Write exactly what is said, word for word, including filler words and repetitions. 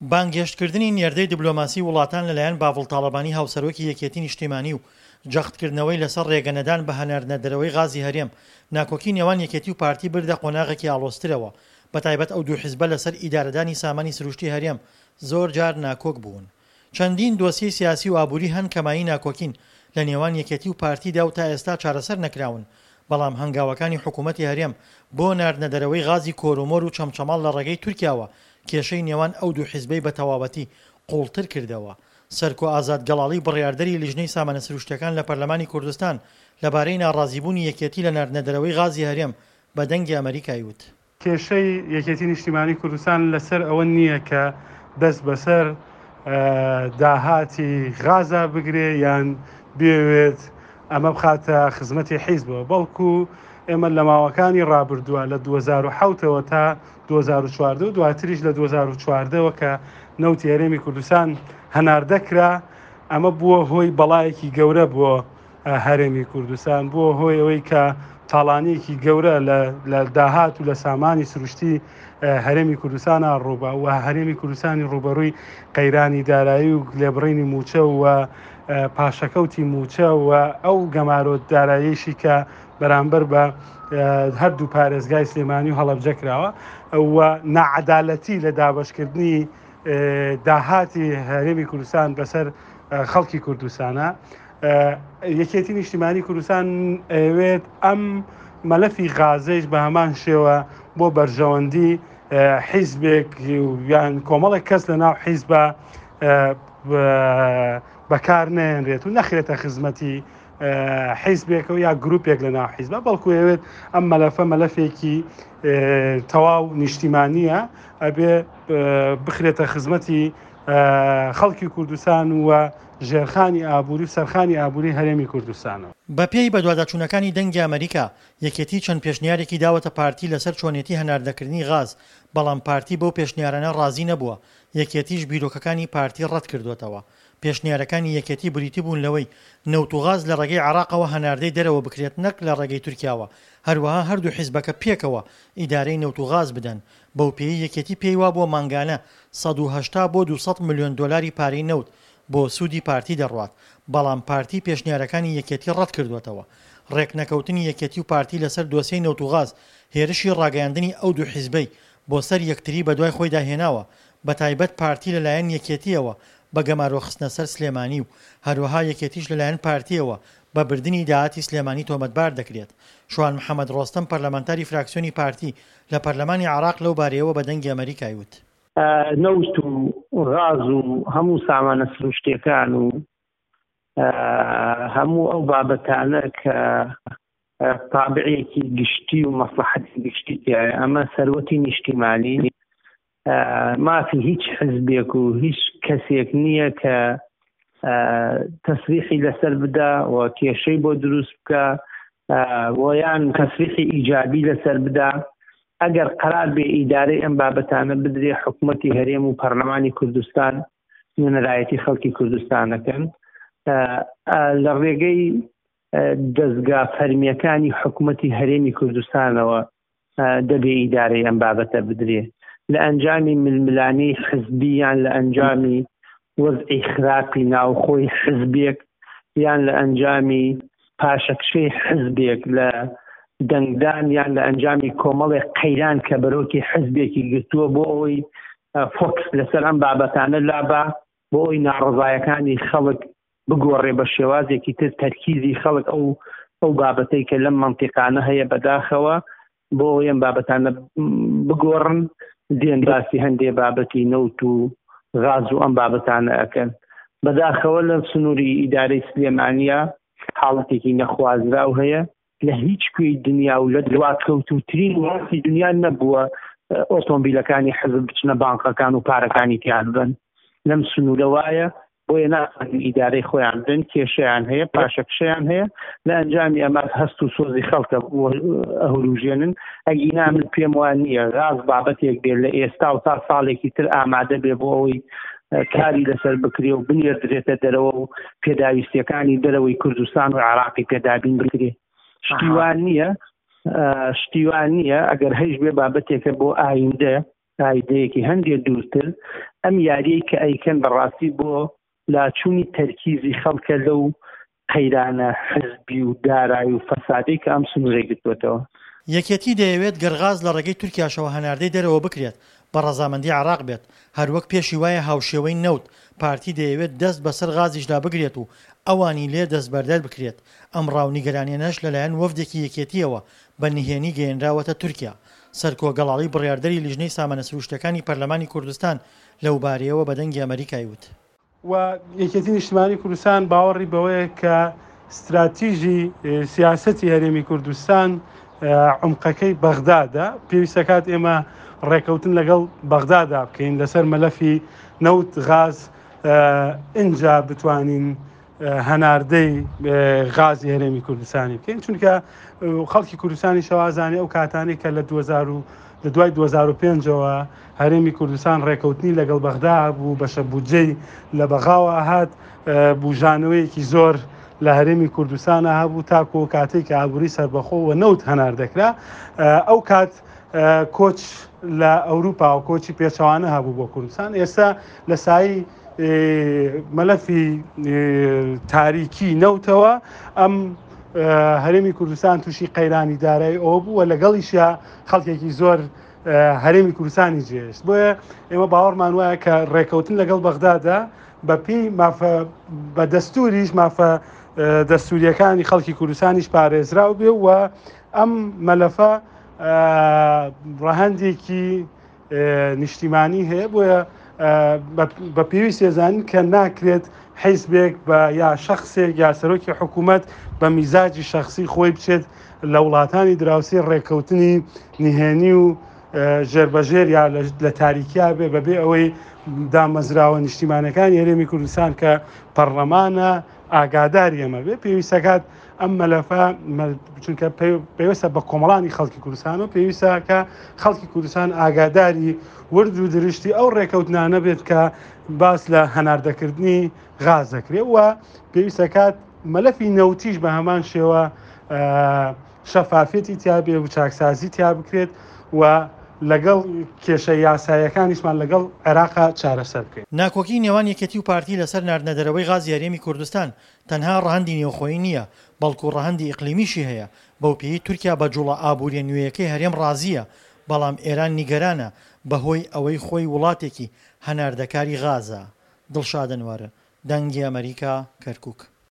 بانگهێشتکردنی نێردەی دبلۆماسی وڵاتان لەلایەن باڤڵ تاڵەبانی هاوسەرۆکی یەکێتی نیشتیمانی و جەختکردنەوەی لەسەر رێگەنەدان بە هەناردنە دەرەوەی غازی هەرێم، ناکۆکی نێوان یەکێتی و پارتی بردە قۆناغێکی ئاڵۆزترەوە، بەتایبەت ئەو دوو حزبە لەسەر ئیدارەدانی سامانی سروشتی هەرێم زۆرجار ناکۆک بوون. چەندین دۆسیەی سیاسی و ئابووری هەن کە مایەی ناکۆکین لە نێوان یەکێتی و پارتیدا و تا ئێستا چارەسەر نەکراون، بەڵام هەنگاوەکانی حکوومەتی هەرێم بۆ ناردنەدەرەوەی غازی کۆرۆمۆر و چەمچەماڵ لە ڕێگەی تورکیاوە کێشەی نێوان ئەو دوو حزبەی بە تەواوەتی قووڵتر کردەوە. سەرکۆ ئازاد گەڵاڵی بڕیاردەری لیژنەی سامانە سروشتیەکان لە پەرلەمانی کوردستان لەبارەی ناڕازیبوونی یەکێتی لە ناردنەدەرەوەی غازی هەرێم بە دەنگی ئەمەریکای وت. کێشەی یەکێتی نیشتیمانی کوردستان لەسەر ئەوە نییە کە دەست بەسەر داهاتی غازا بگرێ یان بێوێت ئەمە بخاتە خزمەتی حیزبەوە، بەڵکو ئێمە لە ماوەکانی ڕابردووە لە دوو هەزار و حەوت ەوە تا دوو هەزار و چواردە و دواتریش لە دوو هەزار و چواردە ەوە کە نەوتی هەرێمی کوردستان هەناردە کرا، ئەمە بووە هۆی بەڵایەکی گەورە بۆ هەرێمی کوردستان، بووە هۆی ئەوەی کە تاڵانیەکی گەورە لە داهات و لە سامانی سروشتی هەرێمی کوردستانە ڕووبا و هەرێمی کوردستانی ڕووبەڕووی قەیرانی دارایی و لێبڕینی موچە و پاشەکەوتی موچە و ئەو گەمارۆ داراییشی کە بەرامبەر بە هەردوو پارێزگای سلێمانی و هەڵەبجە کراوە و ناعەدالەتی لە دابەشکردنی داهاتی هەرێمی کوردستان بەسەر خەڵکی کوردستانە. یەکێتی نیشتیمانی کوردستان ئەوێت ئەم مەلەفی غازەیش بە هەمان شێوە بۆ بەرژەوەندی حیزبێک یان کۆمەڵێک کەس لە ناو حیزبە بەکار نێنرێت و نەخرێتە خزمەتی حیزبێکەوە یا گروپێک لە ناو حیزبە، بەڵکو ئەوێت ئەم مەلەفە مەلەفێکی تەواو نیشتیمانیە، ئەبێ بخرێتە خزمەتی خەڵکی کوردستان و ژێرخانی ئابووری و سەرخانی ئابووری هەرێمی کوردستانەوە. بەپێی بەدواداچوونەکانی دەنگی ئەمەریکا، یەکێتی چەند پێشنیارێکی داوەتە پارتی لەسەر چۆنێتی هەناردەکردنی غاز، بەڵام پارتی بەو پێشنیارانە ڕازی نەبووە، یەکێتیش بیرۆکەکانی پارتی ڕەت کردووەتەوە. پێشنیارەکانی یەکێتی بریتی بوون لەوەی نەوت و غاز لە ڕێگەی عێراقەوە هەناردەی دەرەوە بکرێت نەک لە ڕێگەی تورکیاوە، هەروەها هەردوو حیزبەکە پێکەوە ئیدارەی نەوت و غاز بدەن، بەوپێیەی یەکێتی پێی وابووە مانگانە سەد و هەشتا بۆ دوو سەد ملیۆن دۆلاری پارەی نەوت بۆ سوودی پارتی دەڕوات، بەڵام پارتی پێشنیارەکانی یەکێتی ڕەتکردووەتەوە. ڕێکنەکەوتنی یەکێتی و پارتی لەسەر دۆسیەی نەوت و غاز هێرشی ڕاگەیاندنی ئەو دوو حیزبەی بۆ سەر یەکتری بەدوای خۆیدا هێناوە، بەتایبەت پارتی لەلایەن یەکێتییەوە بە گەمارۆخستنە سەر سلێمانی و هەروەها یەکێتیش لەلایەن پارتییەوە بە بردنی داهاتی سلێمانی تۆمەتبار دەکرێت. شوان محەمەد ڕۆستەم پەرلەمانتاری فراکسیۆنی پارتی لە پەرلەمانی عێراق لەو بارەیەوە بە دەنگی ئەمەریکای وت. نەوت و غاز و هەموو سامانە سروشتیەکان و هەموو ئەو بابەتانە کە تابعێکی گشتی و مەسلحەتی گشتی تیایە، ئەمە سەروەتی نیشتیمانی، مافی هیچ حزبێک و هیچ کەسێک نییە کە تەسریحی لەسەر بدا و کێشەی بۆ دروست بکە ویان تەسریحی ئیجابی لەسەر بدا. ئەگەر قرار بێ ئیدارەی ئەم بابەتانە بدرێ حکوومەتی هەرێم و پەرلەمانی کوردستان نوێنەرایەتی خەڵکی کوردستانەکەن لە ڕێگەی دەستگا فەرمیەکانی حکوومەتی هەرێمی کوردستانەوە دەبێ ئیدارەی ئەم بابەتە بدرێ. لە ئەنجامی ململانێی حزبی یان لە ئەنجامی وەزعی خراپی ناوخۆی حزبێک یان لە ئەنجامی پاشەکشەی حزبێک لە دەنگدان یان لە ئەنجامی کۆمەڵێک قەیران کە بەرۆکی حزبێکی گرتووە بۆ ئەوەی فۆکس لەسەر ئەم بابەتانە لابا، بۆ ئەوەی ناڕەزایەکانی خەڵک بگۆڕێ بە شێوازێکی تر، تەرکیزی خەڵک ئەو ئەو بابەتەی کە لەم مەنتیقانە هەیە بەداخەوە بۆ ئەوەی ئەم بابەتانە بگۆڕن، دێن باسی هەندێ بابەتی نەوت و غاز و ئەم بابەتانە ئەکەن. بەداخەوە لە سنووری ئیدارەی سلێمانیە حاڵەتێکی نەخوازراو هەیە، لە هیچ کوێی دنیا و لە دواکەوتووترین وڵاتی دنیا نەبووە ئۆتۆمبیلەکانی حزب بچنە بانقەکان و پارەکانی تیان بن. لەم سنوورە وایە، بۆیە ناتوانن ئیدارەی خۆیان بدەن، کێشەیان هەیە، پاشەکشەیان هەیە. لە ئەنجامی ئەمە هەست و سۆزی خەڵکە ئەهروژێنن. ئەگینا من پێم وان نییە غاز بابەتێک بێت لە ئێستا و تا ساڵێکی تر ئامادە بێ بۆ ئەوەی کاری لەسەر بکرێ و بنێردرێتە دەرەوە و پێداویستیەکانی دەرەوەی کوردستان و عێراقی پێدابین بکرێ. شتیوان نییە، شتیوان نییە. ئەگەر هەیش بێ بابەتێکە بۆ ئایندە ئایدەیەکی هەندێک دوورتر، ئەم یاریەی کە ئەیکەن بەڕاستی بۆ لاچوونی تەرکیزی خەڵکە لەو قەیرانە حزبی و دارایی و فەسادەی کە ئەم سنوورەی گرتووەتەوە. یەکێتی دەیەوێت گەر غاز لە ڕێگەی تورکیاشەوە هەناردەی دەرەوە بکرێت بە ڕەزامەندی عێراق بێت، هەروەک پێشی وایە هاوشێوەی نەوت، پارتی دەیەوێت دەست بەسەر غازیشدا بگرێت و ئەوانی لێ دەستبەردار بکرێت، ئەم ڕا و نیگەرانیانەش لەلایەن وەفدێکی یەکێتییەوە بە نهێنی گەیەنراوەتە تورکیا. سەرکۆ گەڵاڵی بڕیاردەری لیژنەی سامانە سروشتیەکانی پەرلەمانی کوردستان لەوبارەیەوە بە دەنگی ئەمەریکای وت. و یەکێتی نیشتمانی کوردستان باوەڕی بەوەیە کە ستراتیژی سیاسەتی هەرێمی کوردستان عمقەکەی بەغدادە، پێویستەکات ئێمە ڕێکەوتن لەگەڵ بەغدادا بکەین لەسەر مەلەفی نەوت غاز، ئینجا بتوانین هەناردەی غازی هەرێمی کوردستانی بکەین، چونکە خەڵکی کوردستانی شەوازانی ئەو کاتانەی کە لە دوو هەزار و لە دوای دوو هەزار و پێنجەوە هەرێمی کوردستان ڕێکەوتنی لەگەڵ بەغدا بوو، بەشە بودجەی لە بەغاوە هات، بوژانەوەیەکی زۆر لە هەرێمی کوردستانە هەبوو تاکو کاتێک کە ئابووری سەربەخۆ و نەوت هەنار دەکرا. ئەو کات کۆچ لە ئەوروپا و کۆچی پێچەوانە هەبوو بۆ کوردستان. ئێستا لە سایی مەلەفی تاریکی نەوتەوە ئەم هەرێمی کوردستان تووشی قەیرانی دارایی ئەوە بوو و لەگەڵیشیا خەڵکێکی زۆر هەرێمی کوردستانی جێهێشت. بۆیە ئێمە باوەڕمان وایە کە ڕێکەوتن لەگەڵ بەغدادا بەپێی مافە بە دەستوریش مافە دەستوریەکانی خەڵکی کوردستانیش پارێزراو بێ و ئەم مەلەفە ڕەهەندێکی نیشتیمانی هەیە. بۆیە بە پێویست ێزانین کە ناکرێت حیزبێک بە یا شخصێک یا سەرۆکی حکوومەت بە میزاجی شخصی خۆی بچێت لە وڵاتانی دراوسی ڕێککەوتنی نهێنی و ژێربەژێر یا لە تاریکیا بێ بەبێ ئەوەی دامەزراوە نیشتیمانەکانی هەرێمی کوردستان کە پەرلەمانە ئاگاداری ئەمە بێ. پێویستەکات ئەم مەلەفە چونکە پێویستە بە کۆمەڵانی خەڵکی کوردستان و پێویستە کە خەڵکی کوردستان ئاگاداری ورد و درشتی ئەو ڕێکەوتنانە بێت کە باس لە هەناردەکردنی غاز دەکرێت و پێویستەکات مەلەفی نەوتیش بە هەمان شێوە شەفافیەتی تیا بێ و چاکسازی تیا بکرێت و لەگەڵ کێشە یاساییەکانیشمان لەگەڵ عێراقا چارەسەر بکەین. ناکۆکی نێوان یەکێتی و پارتی لەسەر ناردنەدەرەوەی غازی هەرێمی کوردستان تەنها ڕەهەندی نێوخۆیی نییە، بەڵکو ڕەهەندی ئیقلیمیشی هەیە، بەو پێی تورکیا بە جوڵە ئابووریە نوێیەکەی هەرێم ڕازییە، بەڵام ئێران نیگەرانە بەهۆی ئەوەی خۆی وڵاتێکی هەناردەکاری غازە. دڵشاد ئەنوەر، دەنگی ئەمەریکا، کەرکوک.